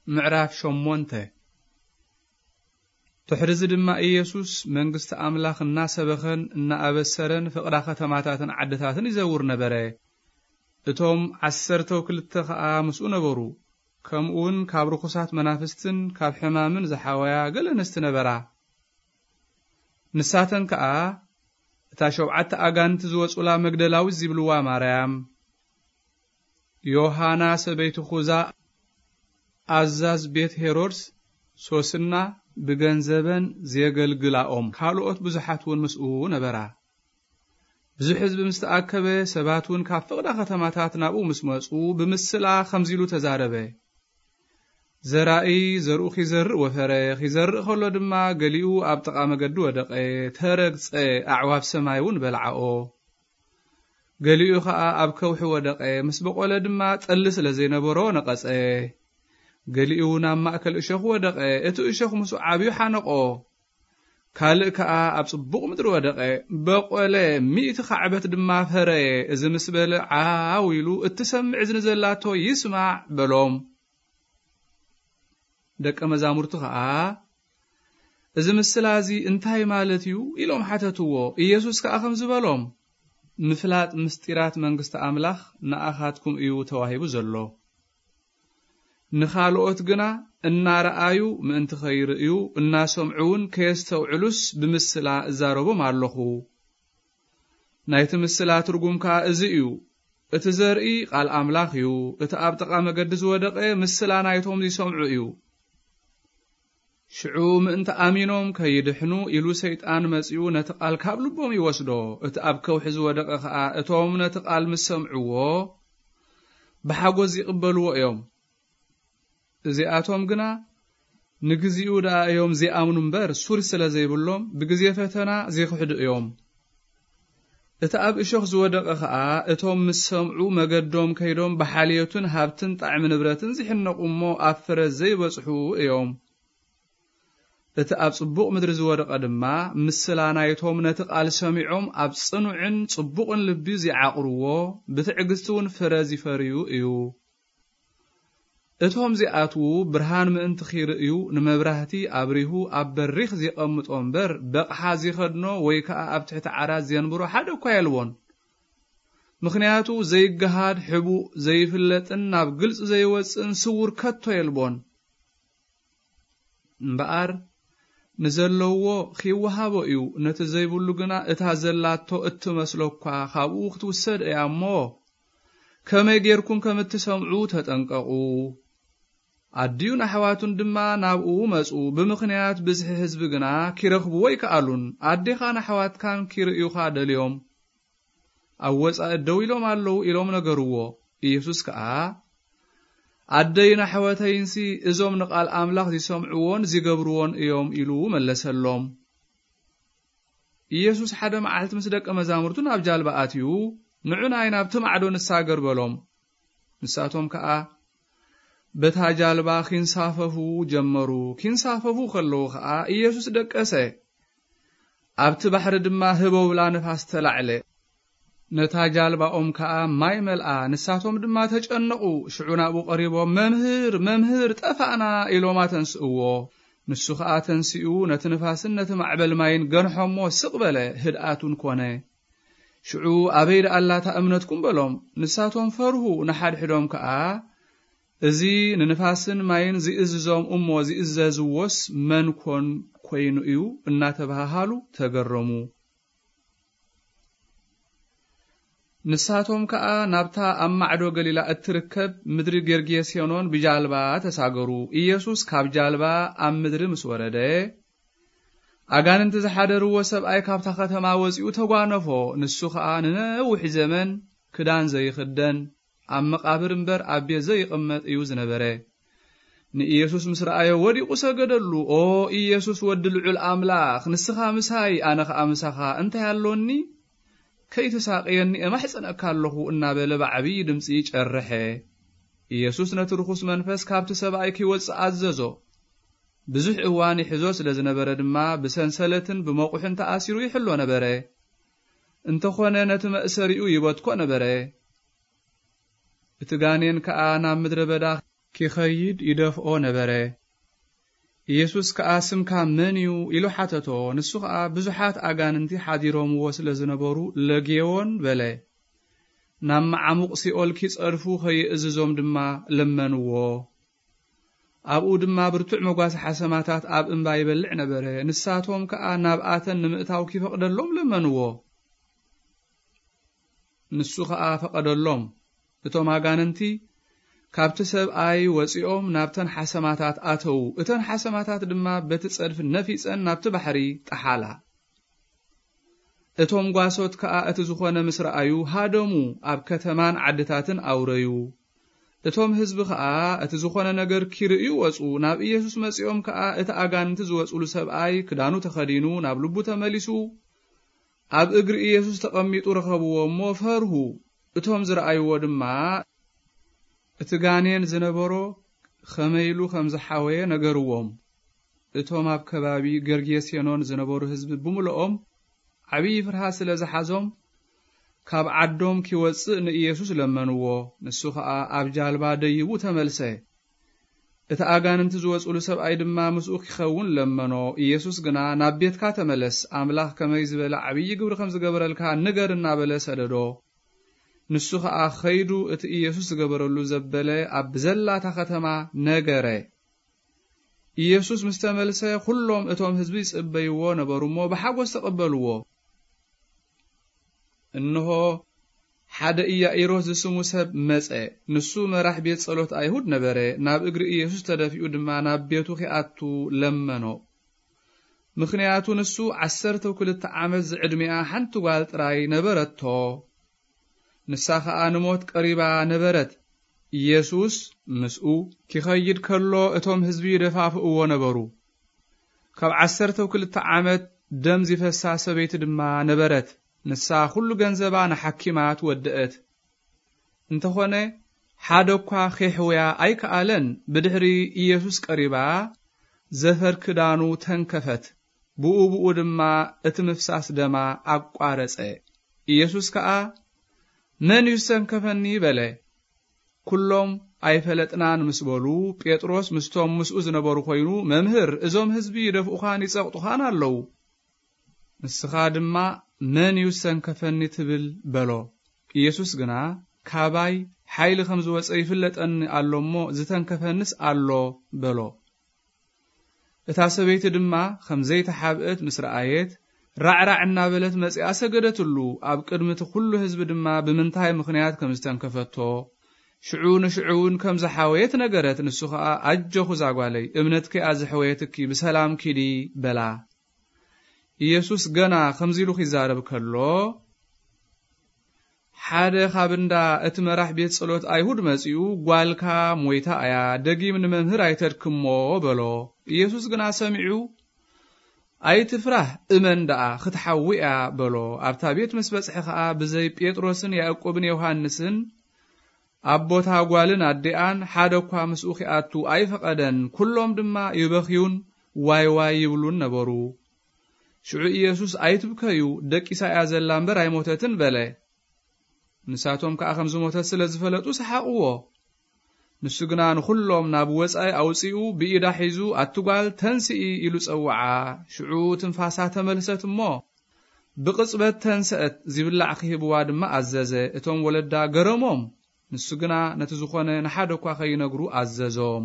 ምዕራፍ ሸሞንተ። ድሕርዚ ድማ ኢየሱስ መንግስቲ ኣምላኽ እናሰበኸን እናኣበሰረን ፍቕዳ ከተማታትን ዓድታትን ይዘውር ነበረ። እቶም ዓሰርተው ክልተ ኸኣ ምስኡ ነበሩ። ከምኡውን ካብ ርኹሳት መናፍስትን ካብ ሕማምን ዝሓወያ ገለ ኣንስቲ ነበራ። ንሳተን ከኣ እታ ሸውዓተ ኣጋንንቲ ዝወጹላ መግደላዊት ዝብልዋ ማርያም፣ ዮሃና ሰበይቲ ኹዛ፣ ኣዛዝ ቤት ሄሮድስ፣ ሶስና፣ ብገንዘበን ዜገልግላኦም ካልኦት ብዙሓት እውን ምስኡ ነበራ። ብዙሕ ህዝቢ ምስ ተኣከበ፣ ሰባት እውን ካብ ፍቕዳ ከተማታት ናብኡ ምስ መጹ፣ ብምስላ ከምዚ ኢሉ ተዛረበ። ዘራኢ ዘርኡ ኺዘርእ ወፈረ። ኺዘርእ ኸሎ ድማ፣ ገሊኡ ኣብ ጥቓ መገዲ ወደቐ፣ ተረግጸ፣ ኣዕዋፍ ሰማይ እውን በልዓኦ። ገሊኡ ኸኣ ኣብ ከውሒ ወደቐ፣ ምስ በቖለ ድማ፣ ጠሊ ስለ ዘይነበሮ ነቐጸ። ገሊኡ ናብ ማእከል እሾኽ ወደቐ፣ እቲ እሾኽ ምስኡ ዓብዩ ሓነቖ። ካልእ ከኣ ኣብ ጽቡቕ ምድሪ ወደቐ፣ በቖለ፣ ሚእቲ ኻዕበት ድማ ፈረየ። እዚ ምስ በለ፣ ዓው ኢሉ፣ "እትሰምዕ እዝኒ ዘላቶ ይስማዕ" በሎም። ደቀ መዛሙርቱ ኸኣ፣ "እዚ ምስላ እዚ እንታይ ማለት እዩ?" ኢሎም ሓተትዎ። ኢየሱስ ከኣ ከምዚ በሎም፣ "ምፍላጥ ምስጢራት መንግስቲ ኣምላኽ ንኣኻትኩም እዩ ተዋሂቡ ዘሎ። ንኻልኦት ግና እናረኣዩ ምእንቲ ኸይርእዩ፣ እናሰምዑ እውን ከየስተውዕሉስ ብምስላ እዛረቦም ኣለኹ። ናይቲ ምስላ ትርጉም ከኣ እዚ እዩ። እቲ ዘርኢ ቃል ኣምላኽ እዩ። እቲ ኣብ ጥቓ መገዲ ዝወደቐ ምስላ ናይቶም ዚሰምዑ እዩ። ሽዑ ምእንቲ ኣሚኖም ከይድሕኑ ኢሉ ሰይጣን መጺኡ ነቲ ቃል ካብ ልቦም ይወስዶ። እቲ ኣብ ከውሒ ዝወደቐ ኸኣ እቶም ነቲ ቃል ምስ ሰምዕዎ ብሓጎስ ይቕበልዎ እዮም። እዚኣቶም ግና ንግዚኡ ደኣ እዮም ዚኣምኑ እምበር ሱር ስለ ዘይብሎም ብግዜ ፈተና ዚኽሕዱ እዮም። እቲ ኣብ እሾኽ ዝወደቐ ኸኣ እቶም ምስ ሰምዑ መገዶም ከይዶም ብሓልዮትን ሃብትን ጣዕሚ ንብረትን ዚሕነቑ እሞ ኣብ ፍረ ዘይበጽሑ እዮም። እቲ ኣብ ጽቡቕ ምድሪ ዝወደቐ ድማ ምስላ ናይቶም ነቲ ቃል ሰሚዖም ኣብ ጽኑዕን ጽቡቕን ልቢ ዚዓቕርዎ ብትዕግስቲ እውን ፍረ ዚፈርዩ እዩ። እቶም ዚኣትዉ ብርሃን ምእንቲ ኺርእዩ ንመብራህቲ ኣብሪሁ ኣብ በሪኽ ዜቐምጦ እምበር በቕሓ ዚኸድኖ ወይ ከኣ ኣብ ትሕቲ ዓራት ዜንብሮ ሓደ እኳ የልቦን። ምኽንያቱ ዘይገሃድ ሕቡእ ዘይፍለጥን ናብ ግልጺ ዘይወጽእን ስዉር ከቶ የልቦን። እምበኣር ንዘለዎ ኺወሃቦ እዩ፣ ነቲ ዘይብሉ ግና እታ ዘላቶ እትመስሎ እኳ ኻብኡ ክትውሰድ እያ እሞ፣ ከመይ ጌርኩም ከም እትሰምዑ ተጠንቀቑ። ኣዲኡን ኣሕዋቱን ድማ ናብኡ መጹ፣ ብምኽንያት ብዝሒ ህዝቢ ግና ኪረኽብዎ ኣይከኣሉን። ኣዴኻን ኣሕዋትካን ኪርእዩኻ ደልዮም፣ ኣብ ወጻኢ ደው ኢሎም ኣለዉ ኢሎም ነገርዎ። ኢየሱስ ከኣ፣ ኣደይን ኣሕዋተይንሲ እዞም ንቓል ኣምላኽ ዚሰምዕዎን ዚገብርዎን እዮም ኢሉ መለሰሎም። ኢየሱስ ሓደ መዓልቲ ምስ ደቀ መዛሙርቱ ናብ ጃልባ ኣትዩ፣ "ንዑ ናይ ናብቲ ማዕዶ ንሳገር" በሎም። ንሳቶም ከኣ በታ ጃልባ ኺንሳፈፉ ጀመሩ። ኪንሳፈፉ ኸለዉ ኸኣ ኢየሱስ ደቀሰ። ኣብቲ ባሕሪ ድማ ህበውላ ንፋስ ተላዕለ። ነታ ጃልባኦም ከኣ ማይ መልኣ። ንሳቶም ድማ ተጨነቑ። ሽዑ ናብኡ ቀሪቦም፣ "መምህር፣ መምህር፣ ጠፋእና!" ኢሎም ኣተንስእዎ። ንሱ ኸኣ ተንሲኡ ነቲ ንፋስን ነቲ ማዕበል ማይን ገንሖሞ፣ ስቕ በለ፣ ህድኣት እውን ኮነ። ሽዑ፣ "ኣበይ ደኣ ኣላ እታ እምነትኩም?" በሎም። ንሳቶም ፈርሁ፣ ንሓድሕዶም ከኣ፣ "እዚ ንንፋስን ማይን ዝእዝዞም እሞ ዝእዘዝዎስ መን ኮን ኮይኑ እዩ?" እናተባሃሃሉ ተገረሙ። ንሳቶም ከኣ ናብታ ኣብ ማዕዶ ገሊላ እትርከብ ምድሪ ጌርጌሴኖን ብጃልባ ተሳገሩ። ኢየሱስ ካብ ጃልባ ኣብ ምድሪ ምስ ወረደ፣ ኣጋንንቲ ዝሓደርዎ ሰብኣይ ካብታ ከተማ ወጺኡ ተጓነፎ። ንሱ ኸኣ ንነዊሕ ዘመን ክዳን ዘይኽደን፣ ኣብ መቓብር እምበር ኣብ ቤት ዘይቕመጥ እዩ ዝነበረ። ንኢየሱስ ምስ ረኣዮ ወዲቑ ሰገደሉ። "ኦ ኢየሱስ ወዲ ልዑል ኣምላኽ፣ ንስኻ ምሳይ፣ ኣነ ኸኣ ምሳኻ እንታይ ኣሎኒ? ከይትሳቕየኒ እማሕጸነካ ኣለኹ" እናበለ ብዓብዪ ድምጺ ጨርሐ። ኢየሱስ ነቲ ርኹስ መንፈስ ካብቲ ሰብኣይ ኪወጽእ ኣዘዞ። ብዙሕ እዋን ይሕዞ ስለ ዝነበረ ድማ ብሰንሰለትን ብመቑሕን ተኣሲሩ ይሕሎ ነበረ። እንተኾነ ነቲ መእሰሪኡ ይበትኮ ነበረ። እቲ ጋኔን ከኣ ናብ ምድረ በዳ ኪኸይድ ይደፍኦ ነበረ። ኢየሱስ ከኣ፣ "ስምካ መን እዩ?" ኢሉ ሓተቶ። ንሱ ኸኣ፣ "ብዙሓት ኣጋንንቲ ሓዲሮምዎ ስለ ዝነበሩ ለግየዎን" በለ። ናብ መዓሙቕ ሲኦል ኪጸድፉ ኸይእዝዞም ድማ ለመንዎ። ኣብኡ ድማ ብርቱዕ መጓሰ ሓሰማታት ኣብ እምባ ይበልዕ ነበረ። ንሳቶም ከኣ ናብኣተን ንምእታው ኪፈቕደሎም ለመንዎ። ንሱ ኸኣ ፈቐደሎም። እቶም ኣጋንንቲ ካብቲ ሰብኣይ ወጺኦም ናብተን ሓሰማታት ኣተዉ። እተን ሓሰማታት ድማ በቲ ጸድፊ ነፊጸን ናብቲ ባሕሪ ጠሓላ። እቶም ጓሶት ከኣ እቲ ዝኾነ ምስ ረኣዩ ሃደሙ፣ ኣብ ከተማን ዓድታትን ኣውረዩ። እቶም ህዝቢ ከኣ እቲ ዝኾነ ነገር ኪርእዩ ወጹ። ናብ ኢየሱስ መጺኦም ከኣ እቲ ኣጋንንቲ ዝወጹሉ ሰብኣይ ክዳኑ ተኸዲኑ ናብ ልቡ ተመሊሱ ኣብ እግሪ ኢየሱስ ተቐሚጡ ረኸብዎ እሞ ፈርሁ። እቶም ዝረኣይዎ ድማ እቲ ጋኔን ዝነበሮ ኸመይ ኢሉ ከም ዝሓወየ ነገርዎም። እቶም ኣብ ከባቢ ገርጌሴኖን ዝነበሩ ህዝቢ ብምልኦም ዓብዪ ፍርሃት ስለ ዝሓዞም ካብ ዓዶም ኪወጽእ ንኢየሱስ ለመንዎ። ንሱ ኸኣ ኣብ ጃልባ ደይቡ ተመልሰ። እቲ ኣጋንንቲ ዝወጹሉ ሰብኣይ ድማ ምስኡ ኪኸውን ለመኖ። ኢየሱስ ግና፣ "ናብ ቤትካ ተመለስ፣ ኣምላኽ ከመይ ዝበለ ዓብዪ ግብሪ ከም ዝገበረልካ ንገር" እናበለ ሰደዶ። ንሱ ኸኣ ኸይዱ እቲ ኢየሱስ ዝገበረሉ ዘበለ ኣብ ብዘላታ ኸተማ ነገረ። ኢየሱስ ምስ ተመልሰ፣ ኹሎም እቶም ህዝቢ ይጽበይዎ ነበሩ እሞ ብሓጎስ ተቐበልዎ። እንሆ፣ ሓደ ኢያኢሮስ ዝስሙ ሰብ መጸ። ንሱ መራሕ ቤት ጸሎት ኣይሁድ ነበረ። ናብ እግሪ ኢየሱስ ተደፊኡ ድማ ናብ ቤቱ ኺኣቱ ለመኖ። ምኽንያቱ ንሱ ዓሰርተ ክልተ ዓመት ዝዕድሚኣ ሓንቲ ጓል ጥራይ ነበረቶ። ንሳ ኸኣ ንሞት ቀሪባ ነበረት። ኢየሱስ ምስኡ ኪኸይድ ከሎ እቶም ህዝቢ ይደፋፍእዎ ነበሩ። ካብ ዓሰርተ ክልተ ዓመት ደም ዚፈሳ ሰበይቲ ድማ ነበረት። ንሳ ኹሉ ገንዘባ ንሓኪማት ወደአት። እንተኾነ ሓደ እኳ ኼሕውያ ኣይከኣለን። ብድሕሪ ኢየሱስ ቀሪባ ዘፈር ክዳኑ ተንከፈት። ብኡ ብኡ ድማ እቲ ምፍሳስ ደማ ኣቋረጸ። ኢየሱስ ከኣ፣ "መን እዩ ዝተንከፈኒ?" በለ። ኩሎም ኣይፈለጥናን ምስ በሉ፣ ጴጥሮስ ምስቶም ምስኡ ዝነበሩ ኮይኑ፣ "መምህር፣ እዞም ህዝቢ ይደፍኡኻን ይጸቕጡኻን ኣለዉ። ንስኻ ድማ መን እዩ ዝተንከፈኒ ትብል?" በሎ። ኢየሱስ ግና፣ "ካባይ ሓይሊ ከም ዝወጸ ይፍለጠኒ ኣሎ እሞ፣ ዝተንከፈንስ ኣሎ" በሎ። እታ ሰበይቲ ድማ ከም ዘይተሓብአት ምስ ረኣየት፣ ራዕራዕ እናበለት መጺኣ ሰገደትሉ። ኣብ ቅድሚ እቲ ኹሉ ህዝቢ ድማ ብምንታይ ምኽንያት ከም ዝተንከፈቶ፣ ሽዑ ንሽዑ እውን ከም ዝሓወየት ነገረት። ንሱ ኸኣ፣ "ኣጆኺ እዛ ጓለይ፣ እምነትኪ እያ ዘሕወየትኪ፣ ብሰላም ኪዲ" በላ። ኢየሱስ ገና ከምዚ ኢሉ ኺዛረብ ከሎ፣ ሓደ ካብ እንዳ እቲ መራሕ ቤት ጸሎት ኣይሁድ መጺኡ፣ "ጓልካ ሞይታ እያ፣ ደጊም ንመምህር ኣይተድክሞ" በሎ። ኢየሱስ ግና ሰሚዑ፣ "ኣይትፍራህ፣ እመን ደኣ፣ ክትሓዊ እያ" በሎ። ኣብታ ቤት ምስ በጽሐ ኸኣ፣ ብዘይ ጴጥሮስን ያዕቆብን ዮሃንስን፣ ኣቦታ ጓልን ኣዲኣን ሓደ እኳ ምስኡ ኺኣቱ ኣይፈቐደን። ኩሎም ድማ ይበኽዩን ዋይ ዋይ ይብሉን ነበሩ። ሽዑ ኢየሱስ፣ "ኣይትብከዩ፣ ደቂሳ እያ ዘላ እምበር ኣይሞተትን" በለ። ንሳቶም ከኣ ከም ዝሞተት ስለ ዝፈለጡ ሰሓቕዎ። ንሱ ግና ንኹሎም ናብ ወጻኢ ኣውጺኡ ብኢዳ ሒዙ፣ "ኣቲ ጓል፣ ተንስኢ" ኢሉ ጸውዓ። ሽዑ ትንፋሳ ተመልሰት እሞ ብቕጽበት ተንስአት፣ ዚብላዕ ክህብዋ ድማ ኣዘዘ። እቶም ወለዳ ገረሞም። ንሱ ግና ነቲ ዝኾነ ንሓደ እኳ ኸይነግሩ ኣዘዞም።